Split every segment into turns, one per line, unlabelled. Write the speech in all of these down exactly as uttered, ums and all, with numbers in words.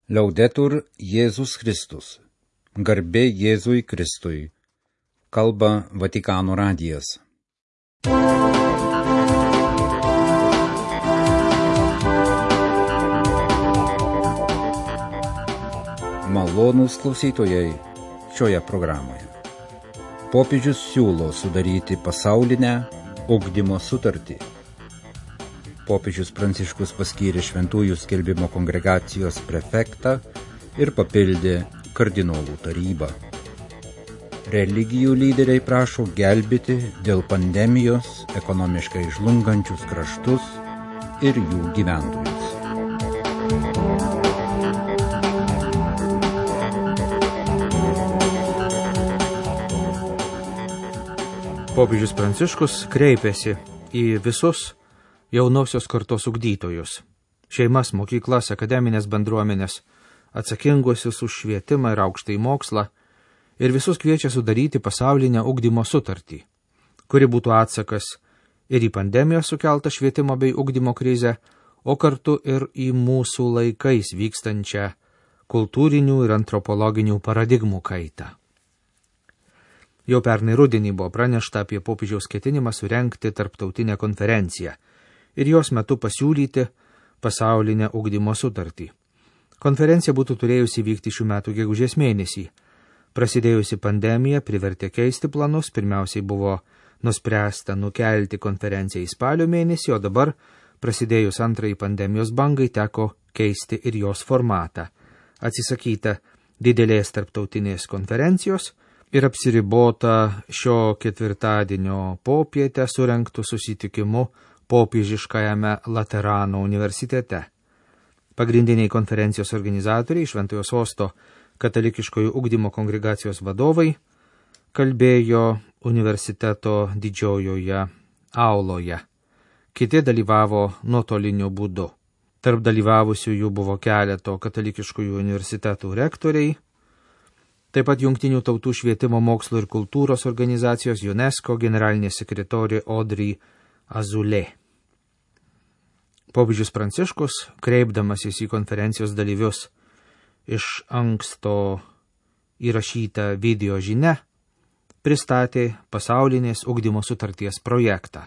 Liaudetur Jėzus Kristus. Garbė Jėzui Kristui. Kalba Vatikano radijas. Malonūs klausytojai šioje programoje. Popiežius siūlo sudaryti pasaulinę ugdymo sutartį. Popiežius Pranciškus paskyrė Šventųjų skelbimo kongregacijos prefektą ir papildė kardinolų tarybą. Religijų lyderiai prašo gelbėti dėl pandemijos ekonomiškai žlungančius kraštus ir jų gyventojus.
Popiežius Pranciškus kreipėsi į visus jaunosios kartos ugdytojus, šeimas, mokyklas, akademinės bendruomenės, atsakinguosius už švietimą ir aukštąjį mokslą, ir visus kviečia sudaryti pasaulinę ugdymo sutartį, kuri būtų atsakas ir į pandemijos sukeltą švietimo bei ugdymo krizę, o kartu ir į mūsų laikais vykstančią kultūrinių ir antropologinių paradigmų kaitą. Jau pernai rudenį buvo pranešta apie popiežiaus ketinimą surengti tarptautinę konferenciją ir jos metu pasiūlyti pasaulinę ugdymo sutartį. Konferencija būtų turėjusi vykti šių metų gegužės mėnesį. Prasidėjusi pandemija privertė keisti planus, pirmiausiai buvo nuspręsta nukelti konferenciją į spalio mėnesį, o dabar, prasidėjus antrai pandemijos bangai, teko keisti ir jos formatą. Atsisakyta didelės tarptautinės konferencijos ir apsiribota šio ketvirtadienio popietę surengtų susitikimu popiežiškajame Laterano universitete. Pagrindiniai konferencijos organizatoriai, Šventojo Sosto katalikiškojo ugdymo kongregacijos vadovai, kalbėjo universiteto didžiojoje auloje. Kiti dalyvavo nuotoliniu būdu. Tarp dalyvavusiųjų buvo keleto katalikiškojų universitetų rektoriai, taip pat Jungtinių tautų švietimo, mokslo ir kultūros organizacijos UNESCO generalinė sekretorė Audrey Azoulay. Popiežius Pranciškus, kreipdamasis į konferencijos dalyvius iš anksto įrašytą video žinią, pristatė pasaulinės ugdymo sutarties projektą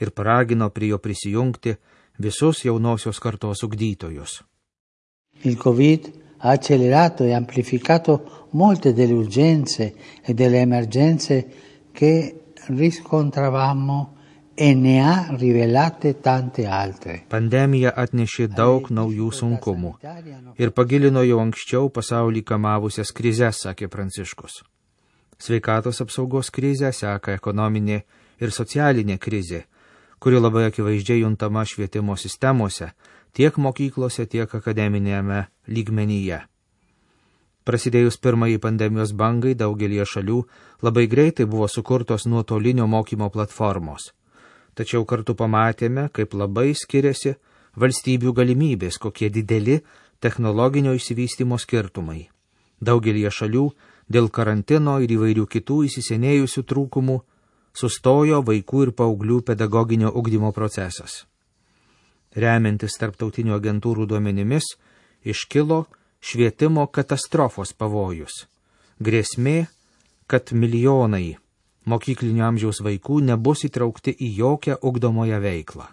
ir paragino prie jo prisijungti visus jaunosios kartos ugdytojus.
Il Covid ha accelerato e amplificato molte delle urgenze e delle emergenze che riscontravamo e ne ha rivelate tante altre.
Pandemija atnešė daug naujų sunkumų ir pagilino jau anksčiau pasaulį kamavusias krizes, sakė Pranciškus. Sveikatos apsaugos krizę seka ekonominė ir socialinė krizė, kuri labai akivaizdžiai juntama švietimo sistemose, tiek mokyklose, tiek akademinėme lygmenyje. Prasidėjus pirmąjį pandemijos bangai daugelie šalių labai greitai buvo sukurtos nuotolinio mokymo platformos. Tačiau kartu pamatėme, kaip labai skiriasi valstybių galimybės, kokie dideli technologinio išsivystymo skirtumai. Daugelie šalių dėl karantino ir įvairių kitų įsisenėjusių trūkumų sustojo vaikų ir paauglių pedagoginio ugdymo procesas. Remiantis tarptautinių agentūrų duomenimis, iškilo švietimo katastrofos pavojus. Grėsmė, kad milijonai mokyklinio amžiaus vaikų nebus įtraukti į jokią ugdomoją veiklą.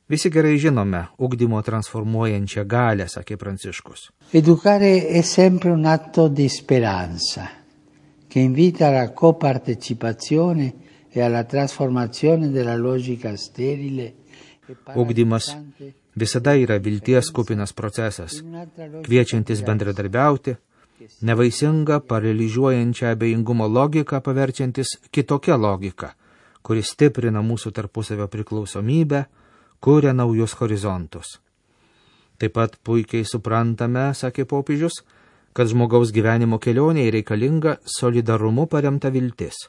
Visi gerai žinome ugdymo transformuojančią galią, sakė Pranciškus.
Educare è sempre un atto di speranza, che invita alla copartecipazione e alla trasformazione della logica sterile.
Ugdymas visada yra vilties kupinas procesas, kviečiantis bendradarbiauti, nevaisingą, paralyžiuojančią abejingumo logiką paverčiantis kitokią logiką, kuri stiprina mūsų tarpusavio priklausomybę, kuria naujus horizontus. Taip pat puikiai suprantame, sakė popiežius, kad žmogaus gyvenimo kelionėje reikalinga solidarumu paremta viltis,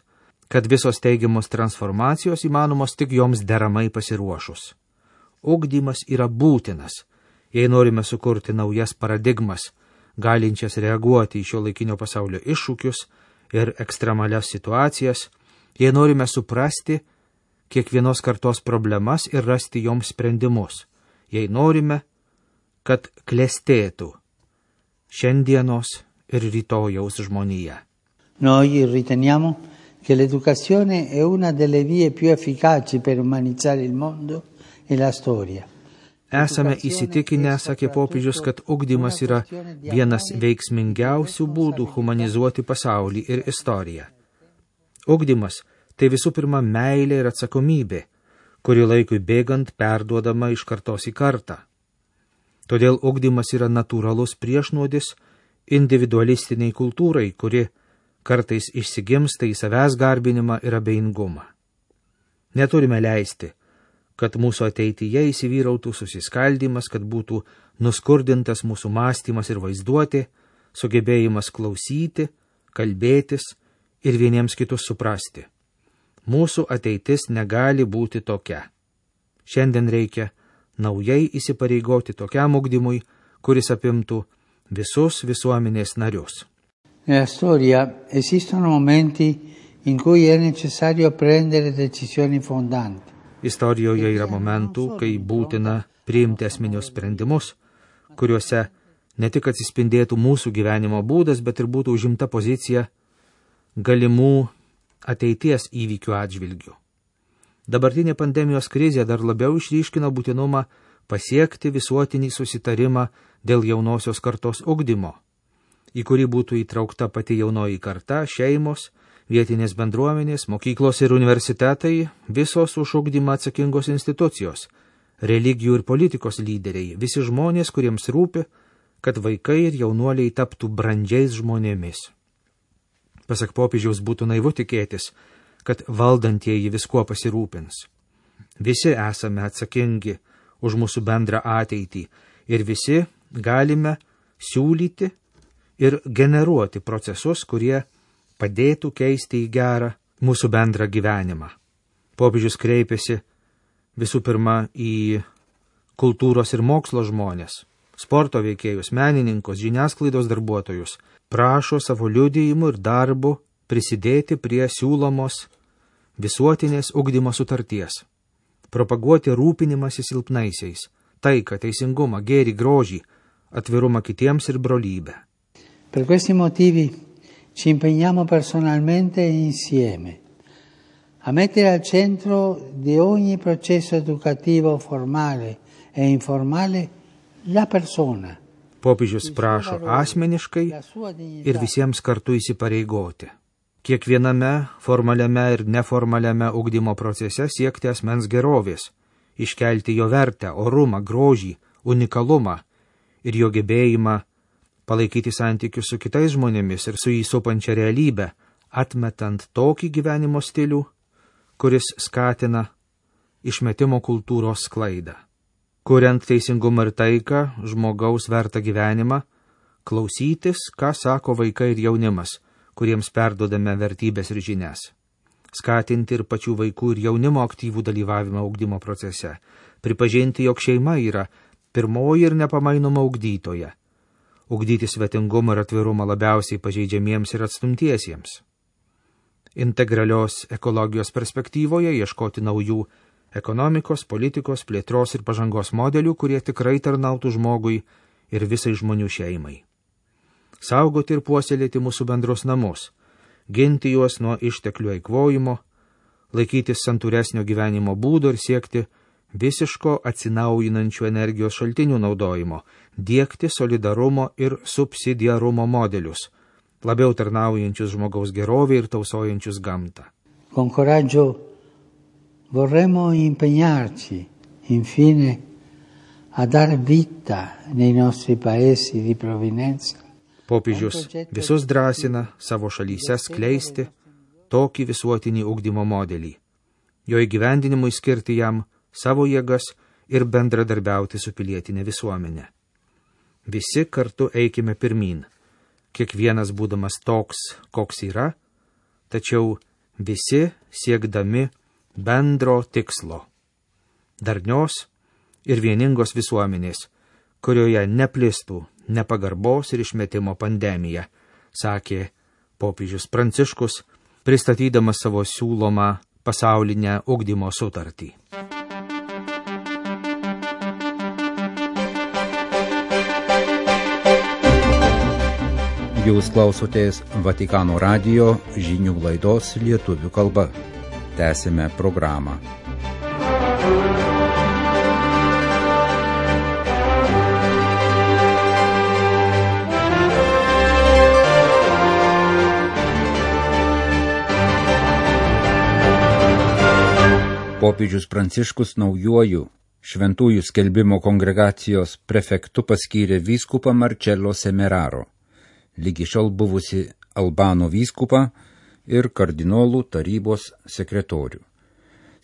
kad visos teigiamos transformacijos įmanomos tik joms deramai pasiruošus. Ugdymas yra būtinas, jei norime sukurti naujas paradigmas, galinčias reaguoti į šio laikinio pasaulio iššūkius ir ekstremalias situacijas, jei norime suprasti kiekvienos kartos problemas ir rasti joms sprendimus, jei norime, kad klestėtų šiandienos ir rytojaus žmonija.
Noi riteniamo che l'educazione è una delle vie più efficaci per umanizzare il mondo e la storia.
Esame įsitikinę, sakė popiežius, kad ugdymas yra vienas veiksmingiausių būdų humanizuoti pasaulį ir istoriją. Ugdymas tai visų pirma meilė ir atsakomybė, kuri laikui bėgant perduodama iš kartos į kartą. Todėl ugdymas yra natūralus priešnuodis individualistiniai kultūrai, kuri kartais išsigimsta į savęs garbinimą ir abejingumą. Neturime leisti, kad mūsų ateityje įsivyrautų susiskaldimas, kad būtų nuskurdintas mūsų mąstymas ir vaizduotė, sugebėjimas klausyti, kalbėtis ir vieniems kitus suprasti. Mūsų ateitis negali būti tokia. Šiandien reikia naujai įsipareigoti tokiam ugdymui, kuris apimtų visus visuomenės narius.
Nella storia esistono momenti in cui è necessario prendere decisioni fondanti.
Istorijoje yra momentų, kai būtina priimti esminius sprendimus, kuriuose ne tik atsispindėtų mūsų gyvenimo būdas, bet ir būtų užimta pozicija galimų ateities įvykių atžvilgių. Dabartinė pandemijos krizė dar labiau išryškino būtinumą pasiekti visuotinį susitarimą dėl jaunosios kartos ugdymo, į kurį būtų įtraukta pati jaunoji karta, šeimos, vietinės bendruomenės, mokyklos ir universitetai, visos už ugdymą atsakingos institucijos, religijų ir politikos lyderiai, visi žmonės, kuriems rūpi, kad vaikai ir jaunuoliai taptų brandžiais žmonėmis. Pasak popiežiaus, būtų naivu tikėtis, kad valdantieji viskuo pasirūpins. Visi esame atsakingi už mūsų bendrą ateitį ir visi galime siūlyti ir generuoti procesus, kurie padėtų keisti į gerą mūsų bendrą gyvenimą. Popiežius kreipėsi visų pirma į kultūros ir mokslo žmonės, sporto veikėjus, menininkus, žiniasklaidos darbuotojus, prašo savo liudijimu ir darbu prisidėti prie siūlomos visuotinės ugdymo sutarties, propaguoti rūpinimąsi silpnaisiais, taiką, teisingumą, gėrį, grožį, atvirumą kitiems ir brolybę.
Per questi motivi ci impegniamo personalmente e insieme a mettere al centro di ogni processo educativo formale e informale la persona.
Popiežius prašo asmeniškai ir visiems kartu įsipareigoti. Kiekviename formaliame ir neformaliame ugdymo procese siekti asmens gerovės, iškelti jo vertę, orumą, grožį, unikalumą ir jo gebėjimą palaikyti santykius su kitais žmonėmis ir su jį supančia realybę, atmetant tokį gyvenimo stilių, kuris skatina išmetimo kultūros sklaidą. Kuriant teisingumą ir taiką, žmogaus vertą gyvenimą, klausytis, ką sako vaikai ir jaunimas, kuriems perduodame vertybės ir žinias. Skatinti ir pačių vaikų ir jaunimo aktyvų dalyvavimą ugdymo procese. Pripažinti, jog šeima yra pirmoji ir nepamainoma ugdytoja. Ugdyti svetingumą ir atvirumą labiausiai pažeidžiamiems ir atstumtiesiems. Integralios ekologijos perspektyvoje ieškoti naujų ekonomikos, politikos, plėtros ir pažangos modelių, kurie tikrai tarnautų žmogui ir visai žmonių šeimai. Saugoti ir puoselėti mūsų bendrus namus, ginti juos nuo išteklių eikvojimo, laikytis santūresnio gyvenimo būdo ir siekti visiško atsinaujinančių energijos šaltinių naudojimo, diegti solidarumo ir subsidiarumo modelius, labiau tarnaujančius žmogaus gerovę ir tausojančius gamtą.
Con coraggio vorremmo impegnarci, infine, a dar vita nei nostri paesi di provenienza.
Popiežius visus drąsina savo šalyse skleisti tokį visuotinį ugdymo modelį, jo įgyvendinimui skirti jam savo jėgas ir bendradarbiauti su pilietinė visuomenė. Visi kartu eikime pirmyn, kiekvienas būdamas toks, koks yra, tačiau visi siekdami bendro tikslo, darnios ir vieningos visuomenės, kurioje neplistų nepagarbos ir išmetimo pandemija, sakė popiežius Pranciškus, pristatydamas savo siūlomą pasaulinę ugdymo sutartį.
Jūs klausotės Vatikano radijo žinių laidos lietuvių kalba. Tęsime programą. Popiežius Pranciškus naujuoju Šventųjų skelbimo kongregacijos prefektu paskyrė vyskupą Marcello Semeraro, lygi šiol buvusi Albano vyskupą ir kardinolų tarybos sekretorių.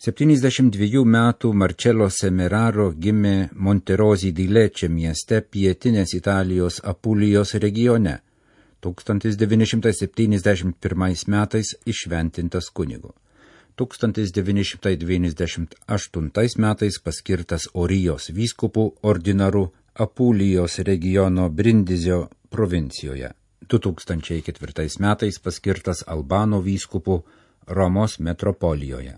septyniasdešimt dviejų metų Marcello Semeraro gimė Monterosi di Lecce mieste pietinės Italijos Apulijos regione, tūkstantis devyni šimtai septyniasdešimt pirmais metais įšventintas kunigu. tūkstantis devyni šimtai devyniasdešimt aštuntais metais paskirtas Orijos vyskupų ordinaru Apulijos regiono Brindizio provincijoje. du tūkstančiai ketvirtais metais paskirtas Albano vyskupų Romos metropolijoje.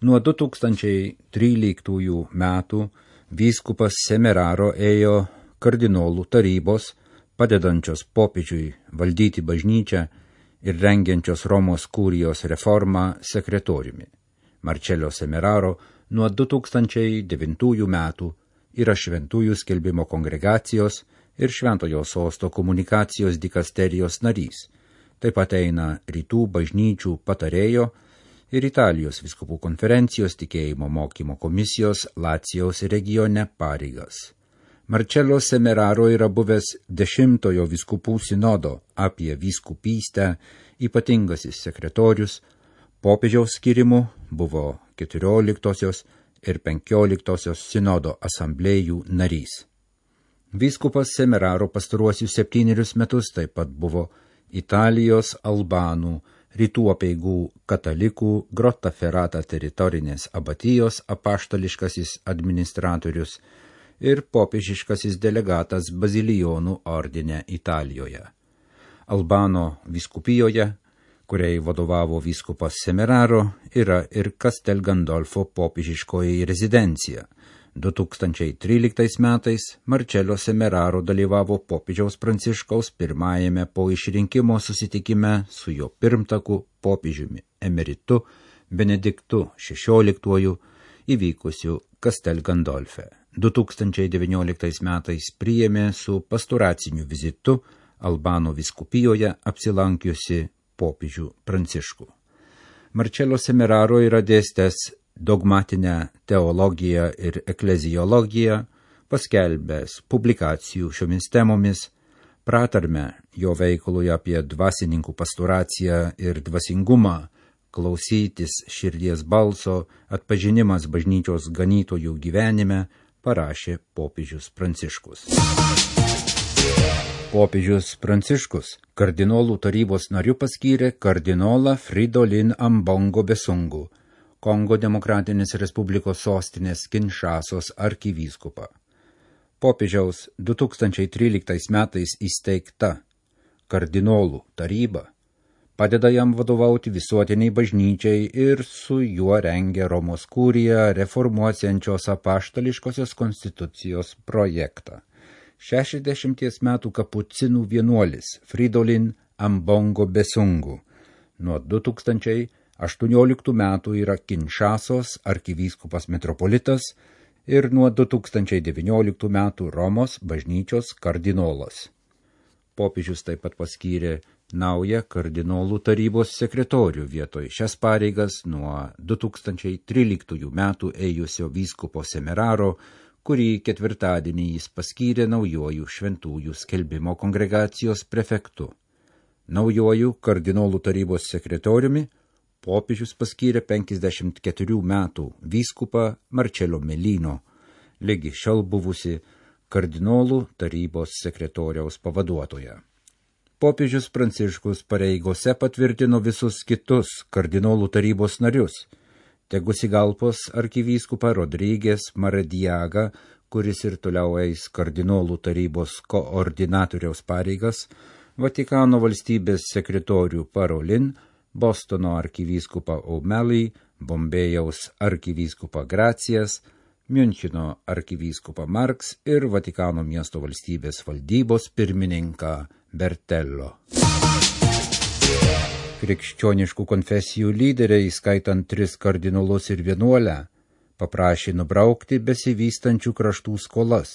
Nuo du tūkstančiai tryliktųjų metų vyskupas Semeraro ėjo kardinolų tarybos, padedančios popiežiui valdyti bažnyčią ir rengiančios Romos kurijos reformą sekretoriumi. Marcello Semeraro nuo du tūkstančiai devintųjų metų yra Šventųjų skelbimo kongregacijos ir Šventojo sosto komunikacijos dikasterijos narys. Taip pat eina Rytų bažnyčių patarėjo ir Italijos vyskupų konferencijos tikėjimo mokymo komisijos Lacijaus regione pareigas. Marcello Semeraro yra buvęs dešimtojo vyskupų sinodo apie vyskupystę ypatingasis sekretorius, popiežiaus skirimu buvo keturioliktosios ir penkioliktosios sinodo asamblėjų narys. Vyskupas Semeraro pastaruosius septynerius metus taip pat buvo Italijos albanų, rytų apeigų katalikų Grottaferrata teritorinės abatijos apaštališkasis administratorius ir popiežiškasis delegatas Bazilijonų ordine Italijoje. Albano vyskupijoje, kuriai vadovavo vyskupas Semeraro, yra ir Castel Gandolfo popiežiškoji rezidencija. du tūkstančiai tryliktais metais Marcello Semeraro dalyvavo popiežiaus Pranciškaus pirmajame po išrinkimo susitikime su jo pirmtaku popiežiumi emeritu Benediktu šešioliktuoju įvykusiu Castel Gandolfe. du tūkstančiai devynioliktais metais priėmė su pastoraciniu vizitu Albano vyskupijoje apsilankiusi popiežių Pranciškų. Marcello Semeraro yra dėstęs dogmatinę teologiją ir ekleziologiją, paskelbęs publikacijų šiomis temomis, pratarmę jo veikalui apie dvasininkų pastoraciją ir dvasingumą, klausytis širdies balso, atpažinimas bažnyčios ganytojų gyvenime, parašė popiežius Pranciškus. Popiežius Pranciškus kardinolų tarybos nariu paskyrė kardinolą Fridolin Ambongo Besungu, Kongo Demokratinės Respublikos sostinės Kinšasos arkivyskupą. Popiežiaus du tūkstančiai tryliktais metais įsteigta kardinolų taryba padeda jam vadovauti visuotiniai bažnyčiai ir su juo rengia Romos kuriją reformuosiančios apaštališkosios konstitucijos projektą. šešiasdešimties metų kapucinų vienuolis Fridolin Ambongo Besungu nuo du tūkstančiai aštuonioliktų metų yra Kinšasos arkivyskupas metropolitas ir nuo du tūkstančiai devynioliktų metų Romos bažnyčios kardinolas. Popiežius taip pat paskyrė naują kardinolų tarybos sekretorių vietoj šias pareigas nuo du tūkstančiai tryliktųjų metų ėjusio vyskupo Semeraro, kurį ketvirtadienį jis paskyrė naujuoju Šventųjų skelbimo kongregacijos prefektu. Naujuoju kardinolų tarybos sekretoriumi popiežius paskyrė penkiasdešimt keturių metų vyskupą Marcello Melino, lygi šiol buvusi kardinolų tarybos sekretoriaus pavaduotoja. Popiežius Pranciškus pareigose patvirtino visus kitus kardinolų tarybos narius. Tegusigalpos arkivyskupą Rodrygės Maradiagą, kuris ir toliau eis kardinolų tarybos koordinatoriaus pareigas, Vatikano valstybės sekretorių Parolin, Bostono arkivyskupą O'Malley, Bombėjaus arkivyskupą Gracijas, Miuncheno arkivyskupą Marks ir Vatikano miesto valstybės valdybos pirmininką Bertello. Krikščioniškų konfesijų lyderiai, skaitant tris kardinolus ir vienuolę, paprašė nubraukti besivystančių kraštų skolas.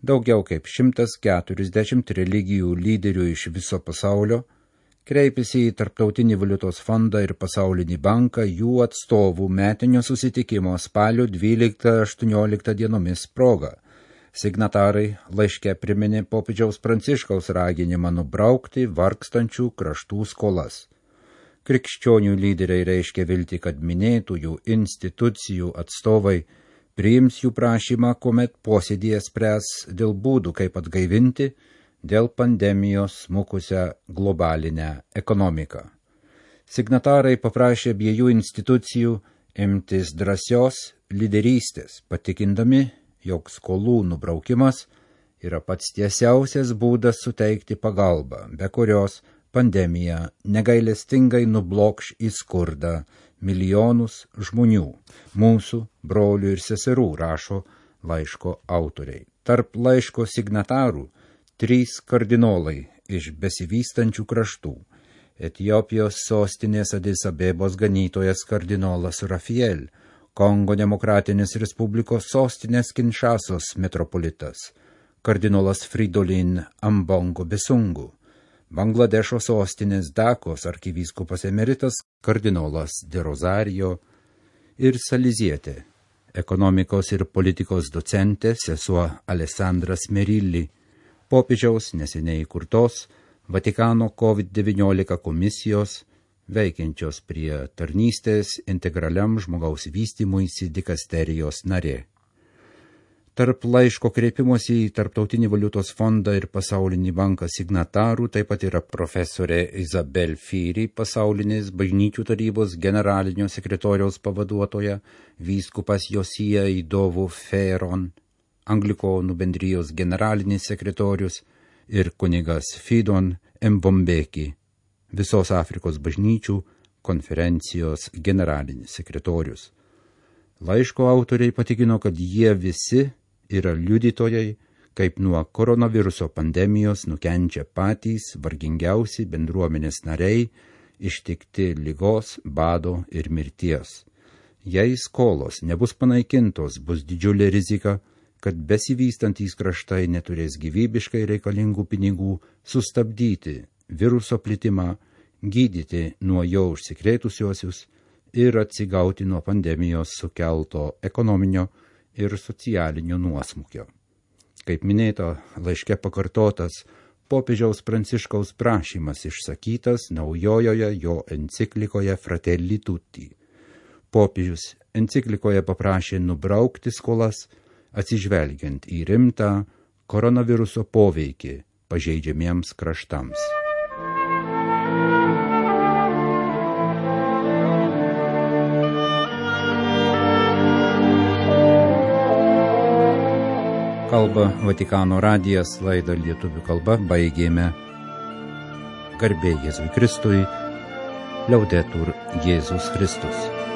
Daugiau kaip šimtas keturiasdešimt religijų lyderių iš viso pasaulio kreipėsi į Tarptautinį valiutos fondą ir Pasaulinį banką jų atstovų metinio susitikimo spalio dvyliktą aštuonioliktą dienomis proga. Signatarai laiške priminė popiežiaus Pranciškaus raginimą nubraukti vargstančių kraštų skolas. Krikščionių lyderiai reiškia viltį, kad minėtųjų institucijų atstovai priims jų prašymą, kuomet posėdėje spręs dėl būdų, kaip atgaivinti dėl pandemijos smukusią globalinę ekonomiką. Signatarai paprašė abiejų institucijų imtis drąsios lyderystės, patikindami, jog skolų nubraukimas yra pats tiesiausias būdas suteikti pagalbą, be kurios pandemija negailestingai nublokš į skurdą milijonus žmonių, mūsų brolių ir seserų, rašo laiško autoriai. Tarp laiško signatarų trys kardinolai iš besivystančių kraštų. Etiopijos sostinės Adis Abebos ganytojas kardinolas Rafael, Kongo Demokratinės Respublikos sostinės Kinšasos metropolitas, kardinolas Fridolin Ambongo Besungu, Bangladešo sostinės Dakos arkivyskupas emeritas kardinolas De Rosario ir salizietė, ekonomikos ir politikos docentė sesuo Alessandras Merilli, popiežiaus neseniai įkurtos Vatikano COVID devyniolika komisijos, veikiančios prie tarnystės integraliam žmogaus vystymuisi dikasterijos narė. Tarp laiško kreipimosi į Tarptautinį valiutos fondą ir Pasaulinį banką signatarų taip pat yra profesorė Isabel Firi, Pasaulinės bažnyčių tarybos generalinio sekretoriaus pavaduotoja, vyskupas Josija Idovu Feron, Anglikonų bendrijos generalinis sekretorius ir kunigas Fidon Mbombeki, visos Afrikos bažnyčių konferencijos generalinis sekretorius. Laiško autoriai patikino, kad jie visi yra liudytojai, kaip nuo koronaviruso pandemijos nukenčia patys vargingiausi bendruomenės nariai, ištikti ligos, bado ir mirties. Jei skolos nebus panaikintos, bus didžiulė rizika, kad besivystantys kraštai neturės gyvybiškai reikalingų pinigų sustabdyti viruso plitimą, gydyti nuo jo užsikrėtusiuosius ir atsigauti nuo pandemijos sukelto ekonominio ir socialinio nuosmukio. Kaip minėta, laiške pakartotas popiežiaus Pranciškaus prašymas išsakytas naujojoje jo enciklikoje Fratelli Tutti. Popiežius enciklikoje paprašė nubraukti skolas, atsižvelgiant į rimtą koronaviruso poveikį pažeidžiamiems kraštams. Kalba Vatikano radijas, laidą lietuvių kalba baigėme. Garbė Jėzui Kristui, Liaudetur Jėzus Kristus.